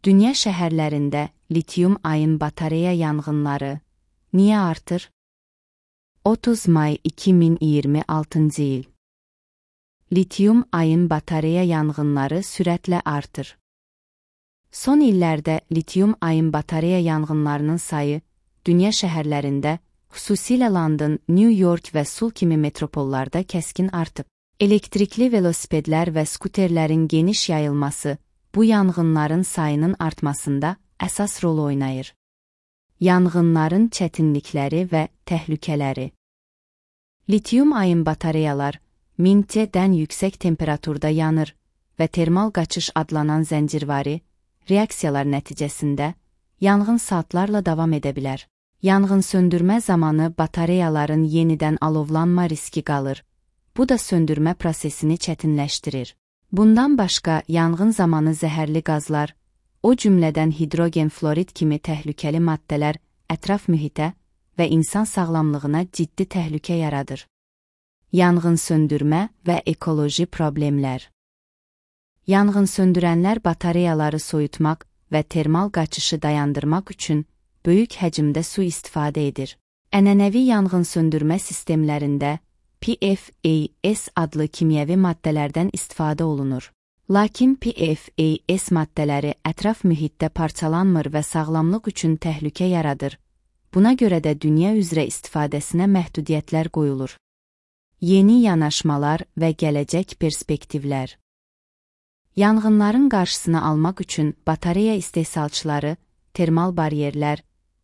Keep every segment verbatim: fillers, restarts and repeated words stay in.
Dünya şəhərlərində litium-ayon batareya yanğınları niyə artır? otuz may iki min iyirmi altıncı il. Litium-ayon batareya yanğınları sürətlə artır. Son illərdə litium-ayon batareya yanğınlarının sayı dünya şəhərlərində, xüsusilə London, New York və Sul kimi metropollarda kəskin artıb. Elektrikli velosipedlər və skuterlərin geniş yayılması bu yanğınların sayının artmasında əsas rol oynayır. Yanğınların çətinlikləri və təhlükələri. Litium-ayon batareyalar min C-dən yüksək temperaturda yanır və termal qaçış adlanan zəncirvari reaksiyalar nəticəsində yanğın saatlarla davam edə bilər. Yanğın söndürmə zamanı batareyaların yenidən alovlanma riski qalır. Bu da söndürmə prosesini çətinləşdirir. Bundan başqa, yanğın zamanı zəhərli qazlar, o cümlədən hidrogen florid kimi təhlükəli maddələr ətraf mühitə və insan sağlamlığına ciddi təhlükə yaradır. Yanğın söndürmə və ekoloji problemlər. Yanğın söndürənlər batareyaları soyutmaq və termal qaçışı dayandırmaq üçün böyük həcmdə su istifadə edir. Ənənəvi yanğın söndürmə sistemlərində P F A S adlı kimyəvi maddələrdən istifadə olunur. Lakin P F A S maddələri ətraf mühitdə parçalanmır və sağlamlıq üçün təhlükə yaradır. Buna görə də dünya üzrə istifadəsinə məhdudiyyətlər qoyulur. Yeni yanaşmalar və gələcək perspektivlər. Yanğınların qarşısını almaq üçün batareya istehsalçıları termal baryerlər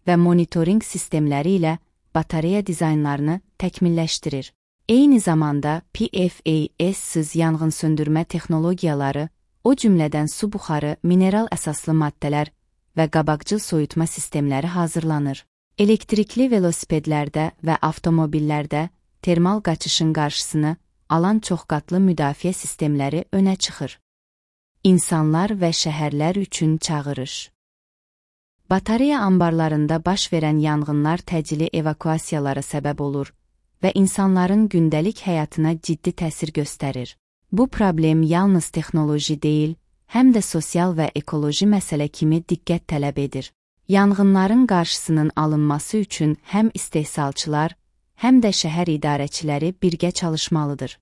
və monitoring sistemləri ilə batareya dizaynlarını təkmilləşdirir. Eyni zamanda P F A S-siz yanğın söndürmə texnologiyaları, o cümlədən su buxarı, mineral əsaslı maddələr və qabaqcıl soyutma sistemləri hazırlanır. Elektrikli velosipedlərdə və avtomobillərdə termal qaçışın qarşısını alan çoxqatlı müdafiə sistemləri önə çıxır. İnsanlar və şəhərlər üçün çağırış. Batareya ambarlarında baş verən yanğınlar təcili evakuasiyalara səbəb olur və insanların gündəlik həyatına ciddi təsir göstərir. Bu problem yalnız texnoloji deyil, həm də sosial və ekoloji məsələ kimi diqqət tələb edir. Yanğınların qarşısının alınması üçün həm istehsalçılar, həm də şəhər idarəçiləri birgə çalışmalıdır.